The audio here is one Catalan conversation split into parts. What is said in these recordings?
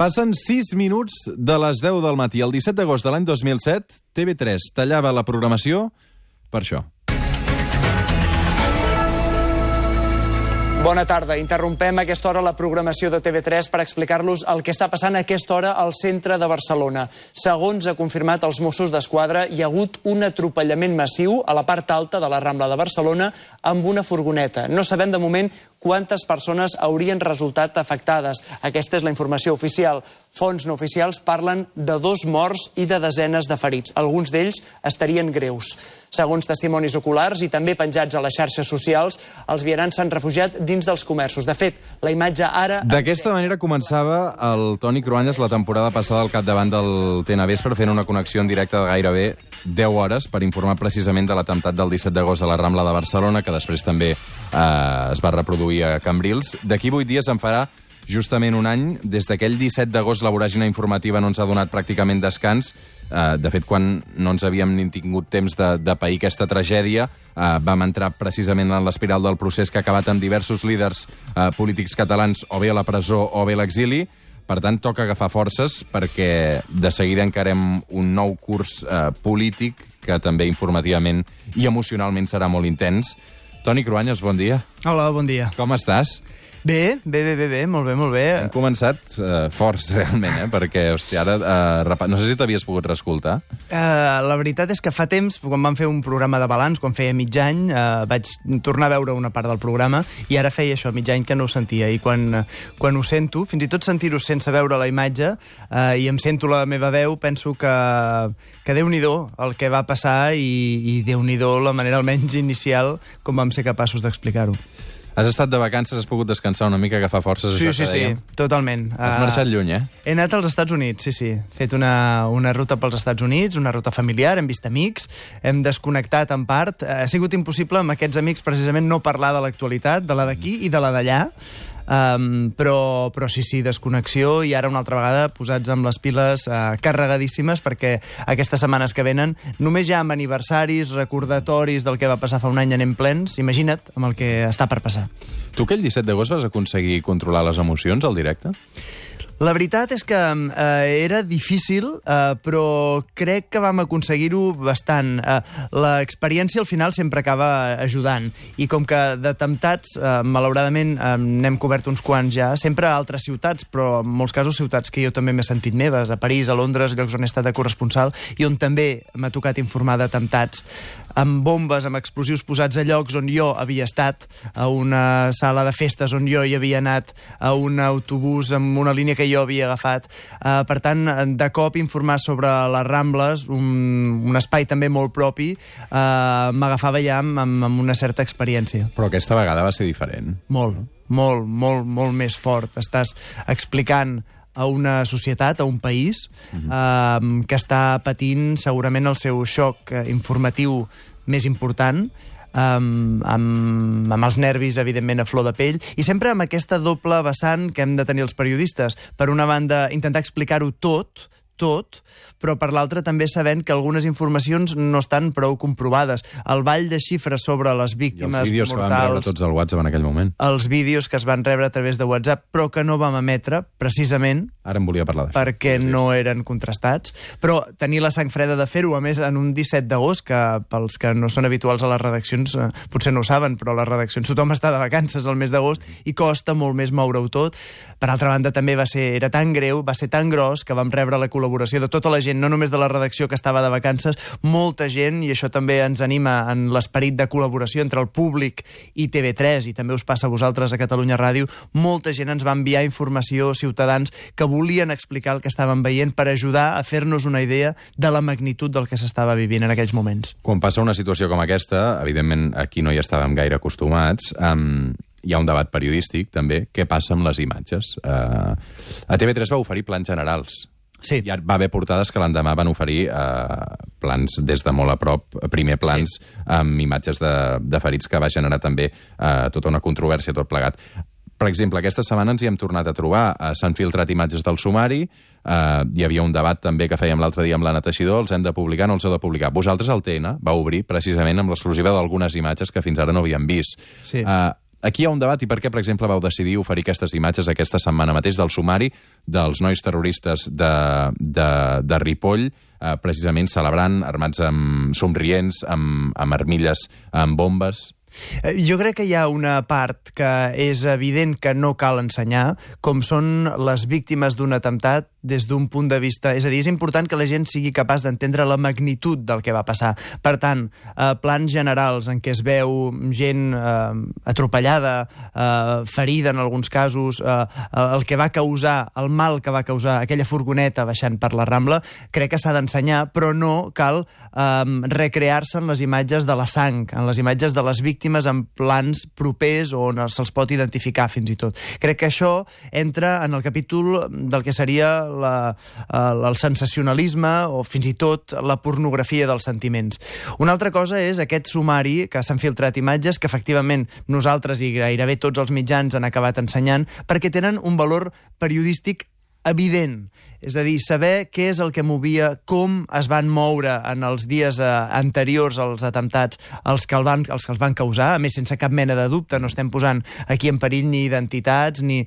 Passen 6 minuts de les 10 del matí. El 17 d'agost de l'any 2007, TV3 tallava la programació per això. Bona tarda. Interrompem a aquesta hora la programació de TV3 per explicar-los el que està passant a aquesta hora al centre de Barcelona. Segons ha confirmat els Mossos d'Esquadra, hi ha hagut un atropellament massiu a la part alta de la Rambla de Barcelona amb una furgoneta. No sabem de moment quantes persones haurien resultat afectades. Aquesta és la informació oficial. Fonts no oficials parlen de 2 morts i de desenes de ferits. Alguns d'ells estarien greus. Segons testimonis oculars i també penjats a les xarxes socials, els vianants s'han refugiat dins dels comerços. De fet, la imatge ara... D'aquesta manera començava el Toni Cruanyes la temporada passada al capdavant del TNA Vespre, fent una connexió en directe de gairebé 10 hores per informar precisament de l'atemptat del 17 d'agost a la Rambla de Barcelona, que després també es va reproduir a Cambrils. D'aquí 8 dies en farà justament un any. Des d'aquell 17 d'agost la voràgina informativa no ens ha donat pràcticament descans. De fet, quan no ens havíem ni tingut temps de pair aquesta tragèdia, vam entrar precisament en l'espiral del procés que ha acabat amb diversos líders polítics catalans o bé a la presó o bé a l'exili. Per tant, toca agafar forces perquè de seguida encarem un nou curs polític que també informativament i emocionalment serà molt intens. Toni Cruanyes, bon dia. Hola, bon dia. Com estàs? Bé, molt bé. Hem començat forts, realment, perquè, hòstia, ara... no sé si t'havies pogut reescoltar. La veritat és que fa temps, quan vam fer un programa de balanç, quan feia mig any, vaig tornar a veure una part del programa i ara feia això, mig any que no ho sentia. I quan ho sento, fins i tot sentir-ho sense veure la imatge, i em sento la meva veu, penso que Déu-n'hi-do el que va passar i Déu-n'hi-do la manera almenys inicial com vam ser capaços d'explicar-ho. Has estat de vacances, has pogut descansar una mica, agafar forces? Sí, totalment. Has marxat lluny, He anat als Estats Units, sí. He fet una ruta pels Estats Units, una ruta familiar, hem vist amics, hem desconnectat en part. Ha sigut impossible amb aquests amics precisament no parlar de l'actualitat, de la d'aquí i de la d'allà. Però sí, desconnexió i ara una altra vegada posats amb les piles carregadíssimes perquè aquestes setmanes que venen només ja amb aniversaris, recordatoris del que va passar fa un any anem plens, imagina't amb el que està per passar. Tu aquell 17 d'agost vas aconseguir controlar les emocions al directe? La veritat és que era difícil, però crec que vam aconseguir-ho bastant. L'experiència al final sempre acaba ajudant. I com que d'atemptats, malauradament, n'hem cobert uns quants ja, sempre a altres ciutats, però en molts casos ciutats que jo també m'he sentit meves, a París, a Londres, llocs on he estat de corresponsal, i on també m'ha tocat informar d'atemptats amb bombes, amb explosius posats a llocs on jo havia estat, a una sala de festes on jo hi havia anat, a un autobús amb una línia que jo havia agafat. Per tant, de cop informar sobre les Rambles, un espai també molt propi, m'agafava ja amb una certa experiència. Però aquesta vegada va ser diferent. Molt més fort. Estàs explicant a una societat, a un país, que està patint segurament el seu xoc informatiu més important, amb els nervis, evidentment, a flor de pell, i sempre amb aquesta doble vessant que hem de tenir els periodistes. Per una banda, intentar explicar-ho tot, però per l'altra també sabent que algunes informacions no estan prou comprovades. El ball de xifres sobre les víctimes mortals... I els vídeos que van rebre tots al WhatsApp en aquell moment. Els vídeos que es van rebre a través de WhatsApp, però que no vam emetre, precisament... Ara en volia parlar d'això. Perquè no eren contrastats. Però tenir la sang freda de fer-ho, a més, en un 17 d'agost, que pels que no són habituals a les redaccions potser no ho saben, però a les redaccions tothom està de vacances al mes d'agost i costa molt més moure-ho tot. Per altra banda, també era tan greu, va ser tan gros, que vam rebre la col·laboració de tota la gent, no només de la redacció que estava de vacances, molta gent, i això també ens anima en l'esperit de col·laboració entre el públic i TV3, i també us passa a vosaltres a Catalunya Ràdio, molta gent ens va enviar informació, ciutadans que volien explicar el que estaven veient per ajudar a fer-nos una idea de la magnitud del que s'estava vivint en aquells moments. Quan passa una situació com aquesta, evidentment aquí no hi estàvem gaire acostumats, hi ha un debat periodístic, també. Què passa amb les imatges? A TV3 va oferir plans generals. Sí. Hi va haver portades que l'endemà van oferir plans des de molt a prop, primer plans amb imatges de ferits, que va generar també tota una controvèrsia, tot plegat. Per exemple, aquesta setmana ens hi hem tornat a trobar. S'han filtrat imatges del sumari, hi havia un debat també que fèiem l'altre dia amb l'Anna Teixidor, els hem de publicar, no els heu de publicar. Vosaltres, el TN, va obrir precisament amb l'exclusiva d'algunes imatges que fins ara no havíem vist. Sí. Aquí hi ha un debat i per què, per exemple, vau decidir oferir aquestes imatges aquesta setmana mateix del sumari dels nois terroristes de Ripoll, precisament celebrant, armats amb somrients, amb armilles, amb bombes. Jo crec que hi ha una part que és evident que no cal ensenyar, com són les víctimes d'un atemptat des d'un punt de vista... És a dir, és important que la gent sigui capaç d'entendre la magnitud del que va passar. Per tant, plans generals en què es veu gent atropellada, ferida en alguns casos, el que va causar, el mal que va causar aquella furgoneta baixant per la Rambla, crec que s'ha d'ensenyar, però no cal recrear-se en les imatges de la sang, en les imatges de les víctimes en plans propers on se'ls pot identificar fins i tot. Crec que això entra en el capítol del que seria el sensacionalisme o fins i tot la pornografia dels sentiments. Una altra cosa és aquest sumari que s'han filtrat imatges que efectivament nosaltres i gairebé tots els mitjans han acabat ensenyant perquè tenen un valor periodístic evident. És a dir, saber què és el que movia, com es van moure en els dies anteriors als atemptats els que els van causar, a més sense cap mena de dubte, no estem posant aquí en perill ni identitats ni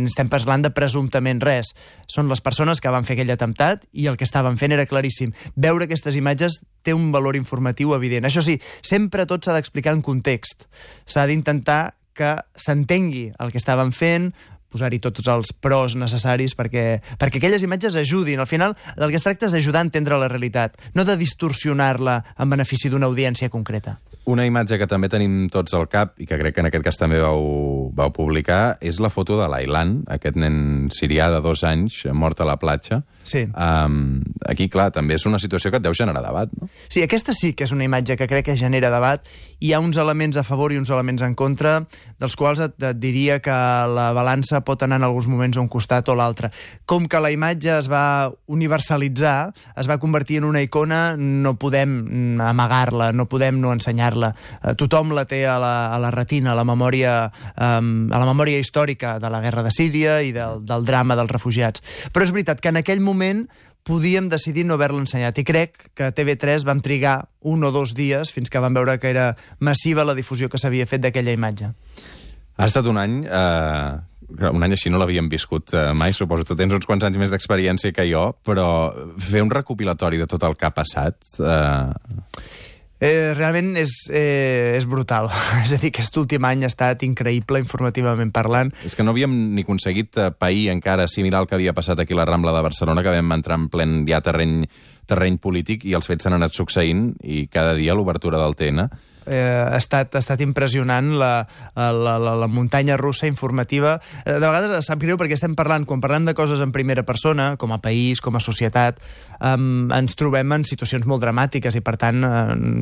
estem parlant de presumptament res. Són les persones que van fer aquell atemptat i el que estaven fent era claríssim. Veure aquestes imatges té un valor informatiu evident. Això sí, sempre tot s'ha d'explicar en context. S'ha d'intentar que s'entengui el que estaven fent, posar-hi tots els pros necessaris perquè aquelles imatges ajudin. Al final, del que es tracta és d'ajudar a entendre la realitat, no de distorsionar-la en benefici d'una audiència concreta. Una imatge que també tenim tots al cap i que crec que en aquest cas també vau publicar és la foto de l'Aylan, aquest nen sirià de 2 anys mort a la platja. Sí. Aquí, clar, també és una situació que et deu generar debat, no? Sí, aquesta sí que és una imatge que crec que genera debat. Hi ha uns elements a favor i uns elements en contra, dels quals et diria que la balança pot anar en alguns moments a un costat o l'altre. Com que la imatge es va universalitzar, es va convertir en una icona, no podem amagar-la, no podem no ensenyar-la. Tothom la té a la retina, a la memòria històrica de la guerra de Síria i del drama dels refugiats. Però és veritat que en aquell moment podíem decidir no haver-la ensenyat i crec que a TV3 vam trigar 1 o 2 dies fins que vam veure que era massiva la difusió que s'havia fet d'aquella imatge. Ha estat un any... un any així no l'havíem viscut mai, suposo. Tu tens uns quants anys més d'experiència que jo, però fer un recopilatori de tot el que ha passat... Realment és brutal. És a dir, aquest últim any ha estat increïble informativament parlant. És que no havíem ni aconseguit pair encara assimilar el que havia passat aquí a la Rambla de Barcelona, que vam entrar en plen ja terreny polític i els fets s'han anat succeint i cada dia l'obertura del TN. Ha estat impressionant la muntanya russa informativa. De vegades sap greu perquè estem parlant, quan parlem de coses en primera persona, com a país, com a societat, ens trobem en situacions molt dramàtiques i per tant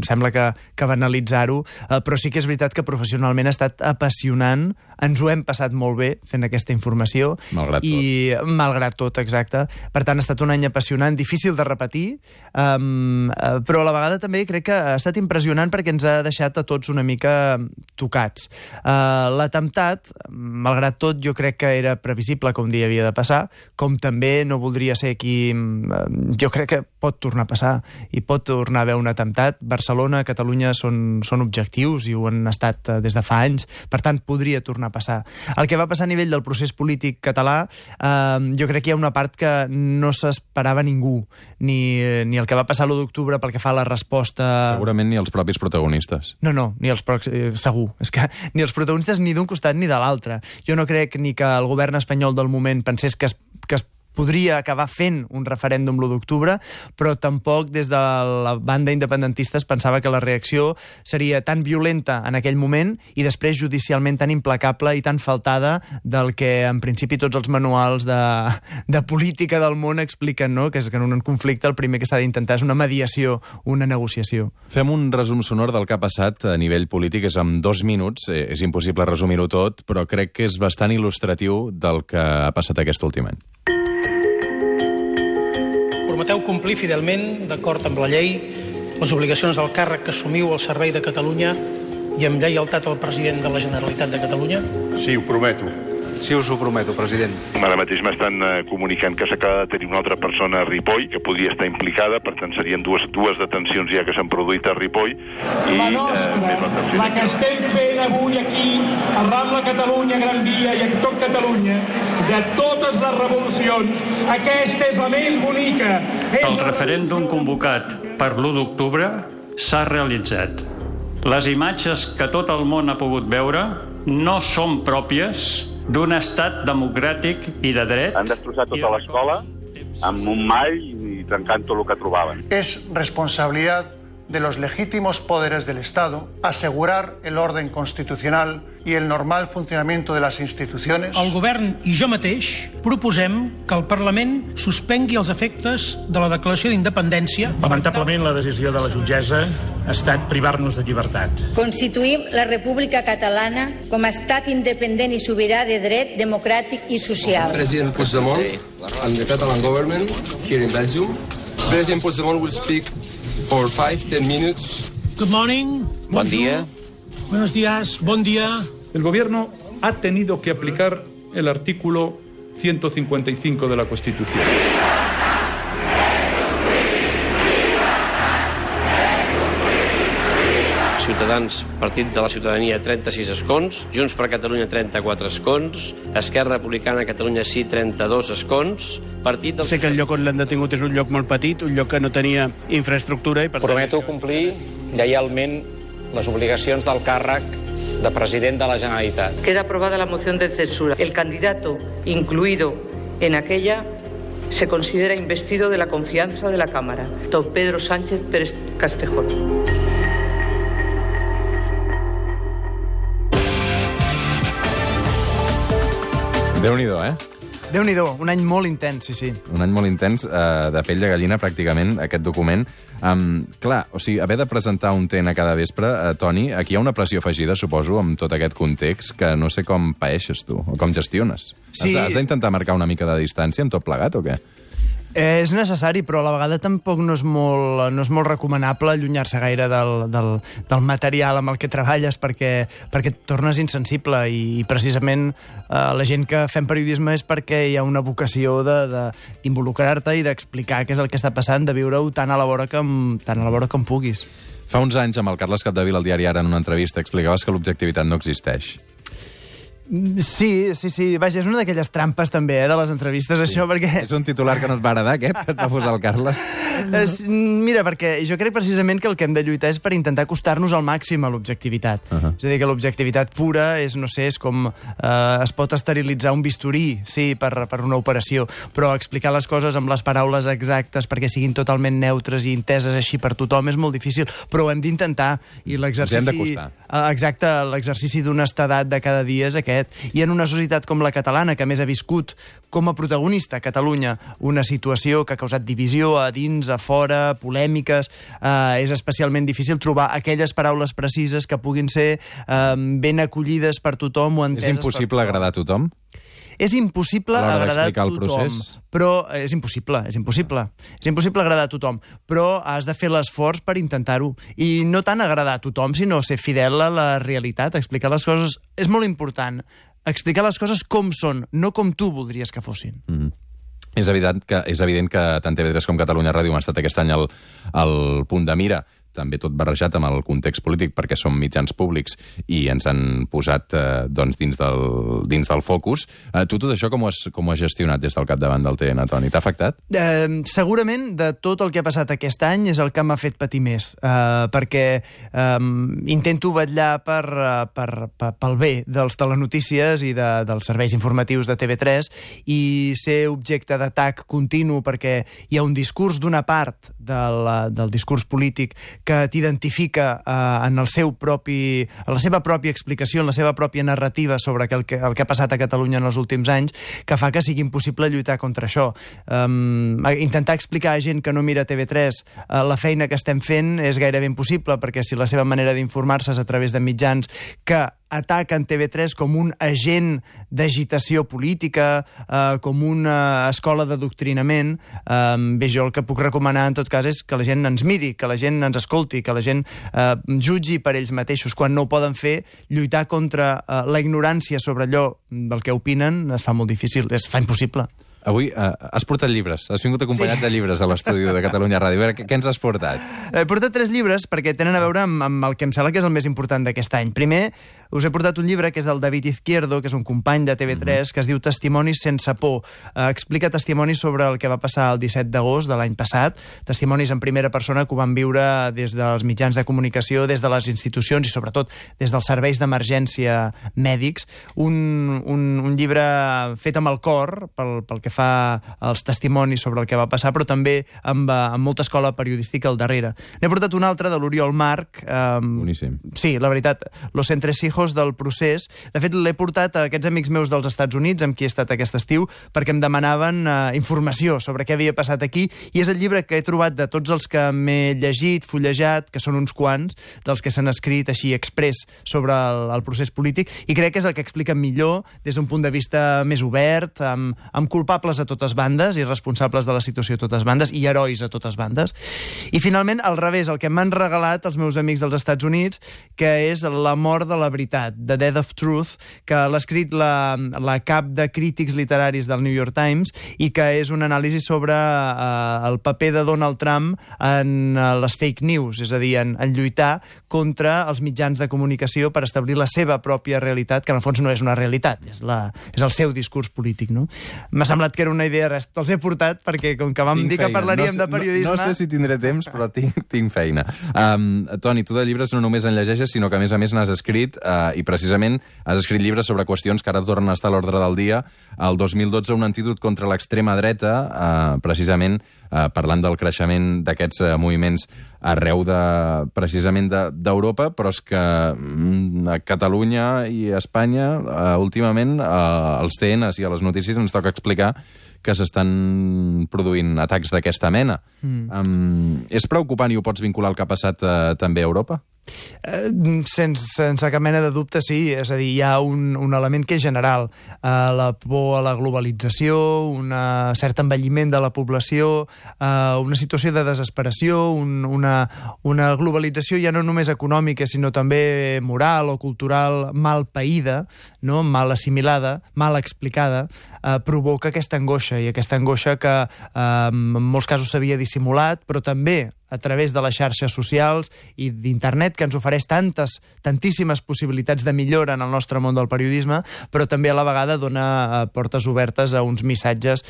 sembla que banalitzar-ho, però sí que és veritat que professionalment ha estat apassionant, ens ho hem passat molt bé fent aquesta informació. Malgrat tot, exacte. Per tant, ha estat un any apassionant, difícil de repetir, però a la vegada també crec que ha estat impressionant perquè ens ha deixat a tots una mica tocats. L'atemptat, malgrat tot, jo crec que era previsible que un dia havia de passar, com també no voldria ser aquí... Jo crec que pot tornar a passar i pot tornar a haver un atemptat. Barcelona, Catalunya són objectius i ho han estat des de fa anys, per tant, podria tornar a passar. El que va passar a nivell del procés polític català, jo crec que hi ha una part que no s'esperava ningú, ni el que va passar l'1 d'octubre pel que fa a la resposta... Segurament ni els propis protagonistes. No, ni els segur. És que ni els protagonistes ni d'un costat ni de l'altre. Jo no crec ni que el govern espanyol del moment pensés que es podria acabar fent un referèndum l'1 d'octubre, però tampoc des de la banda independentista es pensava que la reacció seria tan violenta en aquell moment i després judicialment tan implacable i tan faltada del que en principi tots els manuals de política del món expliquen, no? Que és que en un conflicte el primer que s'ha d'intentar és una mediació, una negociació. Fem un resum sonor del que ha passat a nivell polític, és en 2 minuts, és impossible resumir-ho tot, però crec que és bastant il·lustratiu del que ha passat aquest últim any. Prometeu complir fidelment, d'acord amb la llei, les obligacions del càrrec que assumiu al servei de Catalunya i amb lleialtat al president de la Generalitat de Catalunya? Sí, ho prometo. Sí, us ho prometo, president. Ara mateix m'estan comunicant que s'acaba de tenir una altra persona a Ripoll que podria estar implicada, per tant serien dues detencions ja que s'han produït a Ripoll. La nostra, la que estem fent avui aquí, a Rambla Catalunya, Gran Via i a tot Catalunya, de totes les revolucions, aquesta és la més bonica. El referèndum convocat per l'1 d'octubre s'ha realitzat. Les imatges que tot el món ha pogut veure no són pròpies d'un estat democràtic i de dret. Han destrossat tota l'escola amb un mall i trencant tot el que trobaven. Es responsabilidad de los legítimos poderes del Estado asegurar el orden constitucional y el normal funcionamiento de las instituciones. El govern i jo mateix proposem que el Parlament suspengui els efectes de la declaració d'independència. Lamentablement, la decisió de la jutgessa ha estat privar-nos de llibertat. Constituïm la República Catalana com a estat independent i sobirà de dret, democràtic i social. President Puigdemont and the Catalan government here in Belgium. President Puigdemont will speak for 5-10 minutes. Good morning. Buen día. Buenos días. Bon día. El gobierno ha tenido que aplicar el artículo 155 de la Constitución. Ciutadans, Partit de la Ciutadania, 36 escons, Junts per Catalunya, 34 escons, Esquerra Republicana Catalunya Sí, 32 escons, Partit dels... Sé que el lloc on l'han detingut és un lloc molt petit, un lloc que no tenia infraestructura i per tant... Prometo complir lleialment les obligacions del càrrec de president de la Generalitat. Queda aprobada la moción de censura. El candidato incluido en aquella se considera investido de la confianza de la Cámara, don Pedro Sánchez Pérez Castejón. Déu-n'hi-do, Déu-n'hi-do, un any molt intens, sí. Un any molt intens, de pell de gallina, pràcticament, aquest document. Clar, o sigui, haver de presentar un TN cada vespre, Toni, aquí hi ha una pressió afegida, suposo, amb tot aquest context, que no sé com paeixes tu, o com gestiones. Sí. Has d'intentar marcar una mica de distància amb tot plegat, o què? És necessari, però a la vegada tampoc no és molt recomanable allunyar-se gaire del material amb el que treballes perquè et tornes insensible i precisament la gent que fem periodisme és perquè hi ha una vocació d'involucrar-te i d'explicar què és el que està passant, de viure-ho tan a la vora com puguis. Fa uns anys, amb el Carles Capdevila al diari Ara, en una entrevista, explicaves que l'objectivitat no existeix. Sí. Vaja, és una d'aquelles trampes també, de les entrevistes, això, perquè... És un titular que no et va agradar, aquest, que et va posar el Carles? Mira, perquè jo crec precisament que el que hem de lluitar és per intentar acostar-nos al màxim a l'objectivitat. És a dir, que l'objectivitat pura és, no sé, és com es pot esterilitzar un bisturí, sí, per una operació, però explicar les coses amb les paraules exactes perquè siguin totalment neutres i enteses així per tothom és molt difícil, però ho hem d'intentar. I l'exercici... Ens hem d'acostar. Exacte, l'exercici d'honestedat de cada dia és aquest. I en una societat com la catalana, que més ha viscut com a protagonista a Catalunya una situació que ha causat divisió a dins, a fora, polèmiques, és especialment difícil trobar aquelles paraules precises que puguin ser ben acollides per tothom o enteses per tothom. És impossible agradar a tothom? És impossible agradar a tothom, però és impossible. És impossible agradar a tothom, però has de fer l'esforç per intentar-ho. I no tant agradar a tothom, sinó ser fidel a la realitat, explicar les coses. És molt important explicar les coses com són, no com tu voldries que fossin. És evident que tant TV3 com Catalunya Ràdio han estat aquest any al punt de mira, també tot barrejat amb el context polític, perquè som mitjans públics i ens han posat dins del focus. Tu tot això com ho has gestionat des del capdavant del TN, Toni? T'ha afectat? Segurament de tot el que ha passat aquest any és el que m'ha fet patir més, perquè intento vetllar pel bé dels telenotícies i dels serveis informatius de TV3 i ser objecte d'atac continu perquè hi ha un discurs d'una part del discurs polític que t'identifica en la seva pròpia explicació, en la seva pròpia narrativa sobre el que ha passat a Catalunya en els últims anys, que fa que sigui impossible lluitar contra això. Intentar explicar a gent que no mira TV3 la feina que estem fent és gairebé impossible, perquè si la seva manera d'informar-se és a través de mitjans que ataquen TV3 com un agent d'agitació política, com una escola d'adoctrinament, bé, jo el que puc recomanar en tot cas és que la gent ens miri, que la gent ens escolti, escolti, que la gent jutgi per ells mateixos quan no ho poden fer, lluitar contra la ignorància sobre allò del que opinen es fa molt difícil, es fa impossible. Avui has portat llibres, has vingut acompanyat de llibres a l'estudi de Catalunya Ràdio. A veure, què ens has portat? He portat 3 llibres perquè tenen a veure amb el que em sembla que és el més important d'aquest any. Primer, us he portat un llibre que és del David Izquierdo, que és un company de TV3, que es diu Testimonis sense por. Explica testimonis sobre el que va passar el 17 d'agost de l'any passat, testimonis en primera persona que ho van viure des dels mitjans de comunicació, des de les institucions i sobretot des dels serveis d'emergència mèdics. Un llibre fet amb el cor pel que fa els testimonis sobre el que va passar, però també amb molta escola periodística al darrere. N'he portat un altre de l'Oriol Marc. Boníssim. Sí, la veritat, Los entresijos del procés. De fet, l'he portat a aquests amics meus dels Estats Units, amb qui he estat aquest estiu, perquè em demanaven informació sobre què havia passat aquí, i és el llibre que he trobat de tots els que m'he llegit, fullejat, que són uns quants, dels que s'han escrit així express sobre el procés polític, i crec que és el que explica millor des d'un punt de vista més obert, amb culpables a totes bandes i responsables de la situació a totes bandes i herois a totes bandes. I finalment, al revés, el que m'han regalat els meus amics dels Estats Units, que és La mort de la veritat, The Death of Truth, que l'ha escrit la cap de crítics literaris del New York Times i que és un anàlisi sobre el paper de Donald Trump en les fake news, és a dir, en lluitar contra els mitjans de comunicació per establir la seva pròpia realitat, que en el fons no és una realitat, és el seu discurs polític, no? M'ha semblat que era una idea, res, te'ls he portat perquè com que vam dir que parlaríem de periodisme... No sé si tindré temps, però tinc feina. Toni, tu de llibres no només en llegeixes, sinó que a més n'has escrit, i precisament has escrit llibres sobre qüestions que ara tornen a estar a l'ordre del dia. El 2012, un antídot contra l'extrema dreta, precisament parlant del creixement d'aquests moviments arreu precisament d'Europa, però és que a Catalunya i a Espanya últimament als TNs i a les notícies ens toca explicar que s'estan produint atacs d'aquesta mena. És preocupant i ho pots vincular al que ha passat també a Europa? Sense cap mena de dubte, sí. És a dir, hi ha un element que és general. La por a la globalització, un cert envelliment de la població, una situació de desesperació, una globalització ja no només econòmica, sinó també moral o cultural mal païda, no? Mal assimilada, mal explicada, provoca aquesta angoixa, i aquesta angoixa que en molts casos s'havia dissimulat, però també a través de les xarxes socials i d'internet, que ens ofereix tantíssimes possibilitats de millora en el nostre món del periodisme, però també a la vegada dona portes obertes a uns missatges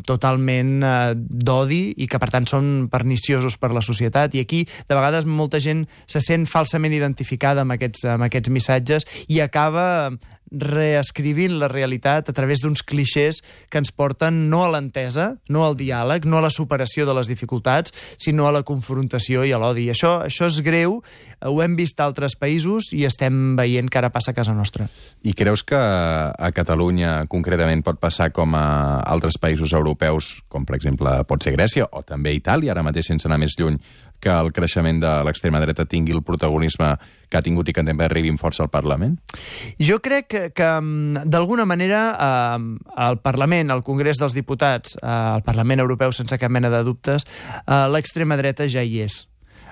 totalment d'odi i que, per tant, són perniciosos per la societat. I aquí, de vegades, molta gent se sent falsament identificada amb aquests missatges i acaba reescrivint la realitat a través d'uns clixés que ens porten no a l'entesa, no al diàleg, no a la superació de les dificultats, sinó a la confrontació i a l'odi. Això és greu, ho hem vist a altres països i estem veient que ara passa a casa nostra. I creus que a Catalunya concretament pot passar com a altres països europeus, com per exemple pot ser Grècia o també Itàlia, ara mateix sense anar més lluny, que el creixement de l'extrema dreta tingui el protagonisme que ha tingut i que també arribi amb força al Parlament? Jo crec que d'alguna manera al Parlament, al Congrés dels Diputats, al Parlament Europeu, sense cap mena de dubtes, l'extrema dreta ja hi és.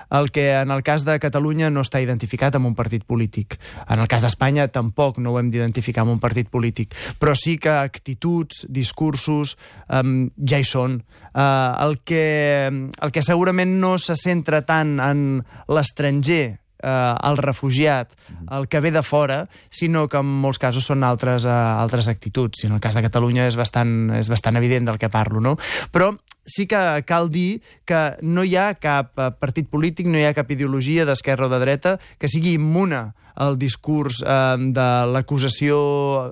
El que en el cas de Catalunya no està identificat amb un partit polític. En el cas d'Espanya tampoc no ho hem d'identificar amb un partit polític. Però sí que actituds, discursos, ja hi són. El que segurament no se centra tant en l'estranger, el refugiat, el que ve de fora, sinó que en molts casos són altres actituds. I en el cas de Catalunya és bastant evident del que parlo, no? Però sí que cal dir que no hi ha cap partit polític, no hi ha cap ideologia d'esquerra o de dreta que sigui immune al discurs de l'acusació,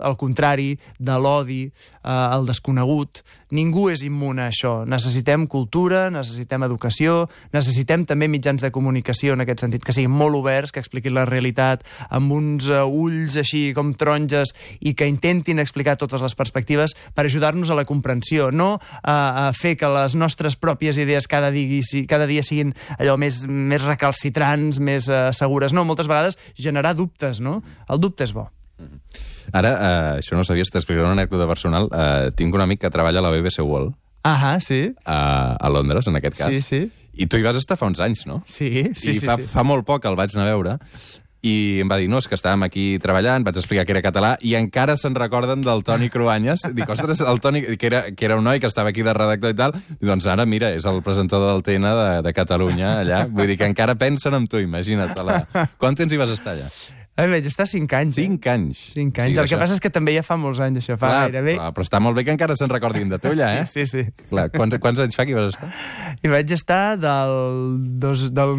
al contrari, de l'odi, al desconegut. Ningú és immune a això. Necessitem cultura, necessitem educació, necessitem també mitjans de comunicació en aquest sentit, que siguin molt oberts, que expliquin la realitat amb uns ulls així com taronges i que intentin explicar totes les perspectives per ajudar-nos a la comprensió, no a fer que les nostres pròpies idees cada dia siguin allò més recalcitrants, més segures. No, moltes vegades generar dubtes, no? El dubte és bo. Ara, això no sabies, t'explicaré una anècdota personal. Tinc un amic que treballa a la BBC World. Sí. A Londres, en aquest cas. Sí. I tu hi vas estar fa uns anys, no? Sí. I fa molt poc el vaig anar a veure i em va dir, no, és que estàvem aquí treballant, vaig explicar que era català, i encara se'n recorden del Toni Cruanyes. Dic, ostres, el Toni, que era un noi que estava aquí de redactor i tal, i doncs ara, mira, és el presentador del TN de Catalunya, allà. Vull dir que encara pensen en tu, imagina't. Quant temps hi vas estar allà? Vaig estar 5 anys. 5 anys? 5 anys. El que passa és que també ja fa molts anys, això. Fa gairebé... Clar, però està molt bé que encara se'n recordin de tu, allà, eh? Sí. Clar, quants anys fa que hi vas estar? Hi vaig estar del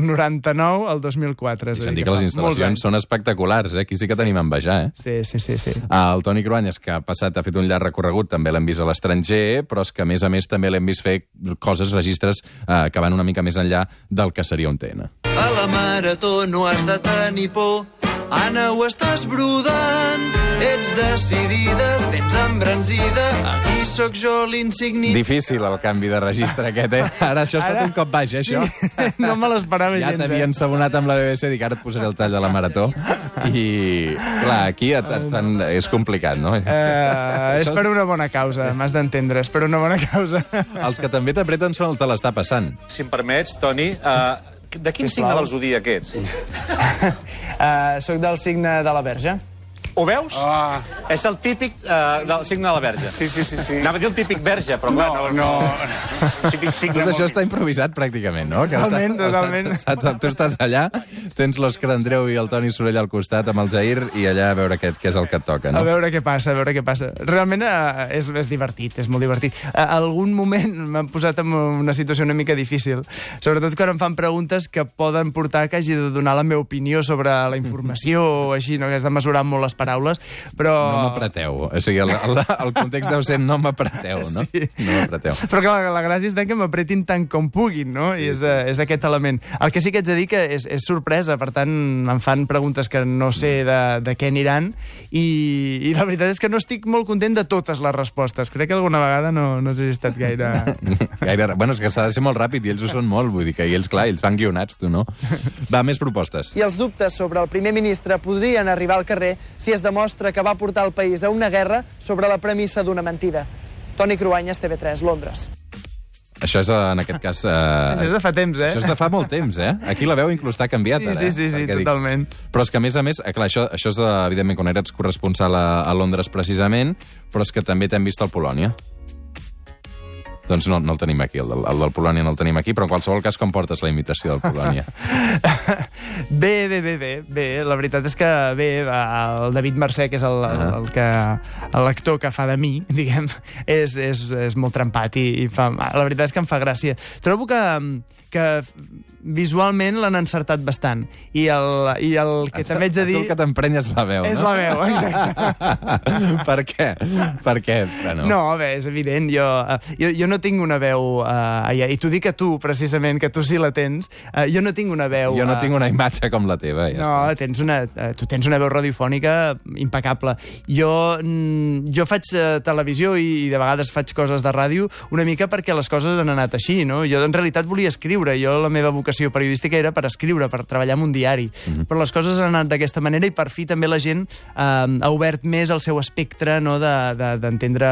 99 al 2004. I se'n diu que les instal·lacions són espectaculars, eh? Aquí sí que tenim a envejar, eh? Sí. El Toni Cruanyes, que ha fet un llarg recorregut, també l'hem vist a l'estranger, però és que, a més també l'hem vist fer coses, registres, que van una mica més enllà del que seria un TN. A la marató no has de tenir por, Anna, ho estàs brodant, ets decidida, tens embranzida, aquí sóc jo l'insignit... Difícil el canvi de registre aquest, eh? Ara això ha estat un cop baix, això. No me l'esperava gens, Ja t'havia ensabonat amb la BBC, dic, ara et posaré el tall de la marató. I, clar, aquí és complicat, no? És per una bona causa, m'has d'entendre, és per una bona causa. Els que també t'apreten són el te l'està passant. Si em permets, Toni, de quin signe del zodíac ets? Soc del signe de la Verge. Ho veus? És el típic del signe de la Verge. Sí. Anava a dir el típic verge, però clar, no. Típic signe... Tot això està improvisat, pràcticament, no? Totalment. Tu estàs allà, tens l'Òscar Andreu i el Toni Sorell al costat amb el Jair i allà a veure què és el que et toca, no? A veure què passa. Realment és divertit, és molt divertit. Algun moment m'han posat en una situació una mica difícil, sobretot quan em fan preguntes que poden portar que hagi de donar la meva opinió sobre la informació o així, no? Que has de mesurar molt les paraules, però... No m'apreteu. O sigui, el context deu ser no m'apreteu, no? Sí. No m'apreteu. Però clar, la gràcia és que m'apretin tant com puguin, no? I és aquest element. El que sí que haig de dir que és sorpresa, per tant, em fan preguntes que no sé de què aniran i la veritat és que no estic molt content de totes les respostes. Crec que alguna vegada no he estat gaire... Bueno, és que s'ha de ser molt ràpid i ells ho són molt, vull dir que ells, clar, ells van guionats, tu no. Va, més propostes. I els dubtes sobre el primer ministre podrien arribar al carrer si es demostra que va portar el país a una guerra sobre la premissa d'una mentida. Toni Cruanyes, TV3, Londres. Això és, en aquest cas... Això és de fa temps, eh? Això és de fa molt temps, eh? Aquí la veu inclús està canviat, ara. Sí, totalment. Però és que, a més, clar, això és, evidentment, quan eres corresponsal a Londres, precisament, però és que també t'hem vist al Polònia. Doncs no el tenim aquí, el del Polònia no el tenim aquí, però en qualsevol cas, com portes la imitació del Polònia? Bé. La veritat és que bé, el David Mercè, que és l'actor que fa de mi, diguem, és molt trempat i la veritat és que em fa gràcia. Trobo que visualment l'han encertat bastant. I el que també haig de dir... Tu el que t'emprenyes la veu, no? És la veu, exacte. Per què? Per què? No, bé, és evident. Jo no tinc una veu allà. I t'ho dic a tu, precisament, que tu sí la tens. Jo no tinc una veu... Jo no tinc una imatge com la teva. Tu tens una veu radiofònica impecable. Jo faig televisió i de vegades faig coses de ràdio una mica perquè les coses han anat així, no? Jo en realitat volia escriure. La meva vocació periodística era per escriure, per treballar en un diari. Però les coses han anat d'aquesta manera i per fi també la gent ha obert més el seu espectre, no, d'entendre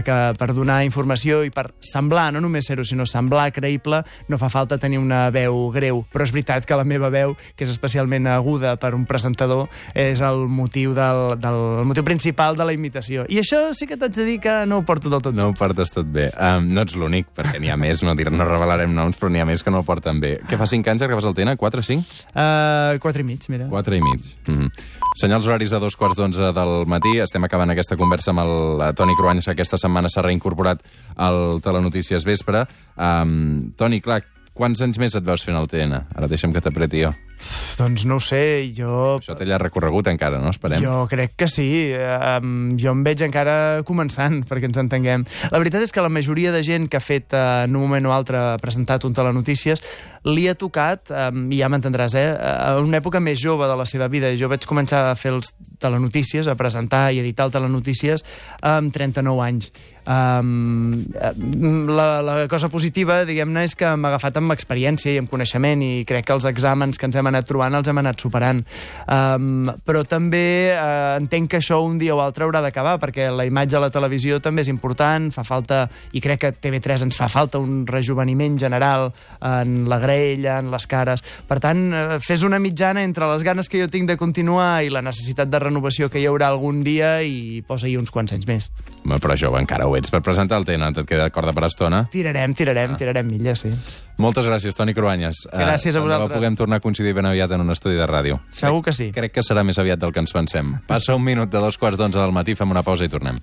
que per donar informació i per semblar, no només ser-ho, sinó semblar creïble, no fa falta tenir una veu greu. Però és veritat que la meva veu, que és especialment aguda per un presentador, és el motiu motiu principal de la imitació. I això sí que t'haig de dir que no ho porto del tot bé. No ho portes tot bé. No ets l'únic, perquè n'hi ha més, no revelarem noms, però n'hi ha més que no ho porten bé. Què fa 5 anys que vas al TN? 4 o 5? 4 i mig, mira. 4 i mig. Senyals horaris de 2:15 del matí. Estem acabant aquesta conversa amb el Toni Cruanyes, que aquesta setmana s'ha reincorporat al Telenotícies Vespre. Toni, clar, quants anys més et veus fent el TN? Ara deixa'm que t'apreti jo. Doncs no ho sé, Això té llarg recorregut encara, no? Esperem. Jo crec que sí. Jo em veig encara començant, perquè ens entenguem. La veritat és que la majoria de gent que ha fet en un moment o altre presentat un Telenotícies li ha tocat, i ja m'entendràs, en una època més jove de la seva vida. Jo vaig començar a fer els Telenotícies, a presentar i editar el Telenotícies amb 39 anys. La cosa positiva, diguem-ne, és que m'ha agafat amb experiència i amb coneixement, i crec que els exàmens que ens hem anat trobant els hem anat superant. Però també entenc que això un dia o altre haurà d'acabar, perquè la imatge a la televisió també és important, fa falta, i crec que TV3 ens fa falta un rejuveniment general en la graella, en les cares. Per tant, fes una mitjana entre les ganes que jo tinc de continuar i la necessitat de renovació que hi haurà algun dia, i posa-hi uns quants anys més. Però jove encara ho ets per presentar el TN, et queda corda per estona? Tirarem milles, sí. Moltes gràcies, Toni Cruanyes. Gràcies a vosaltres. Puguem tornar a coincidir ben aviat en un estudi de ràdio. Segur que sí. Crec que serà més aviat del que ens pensem. Passa un minut de 2:15 del matí, fem una pausa i tornem.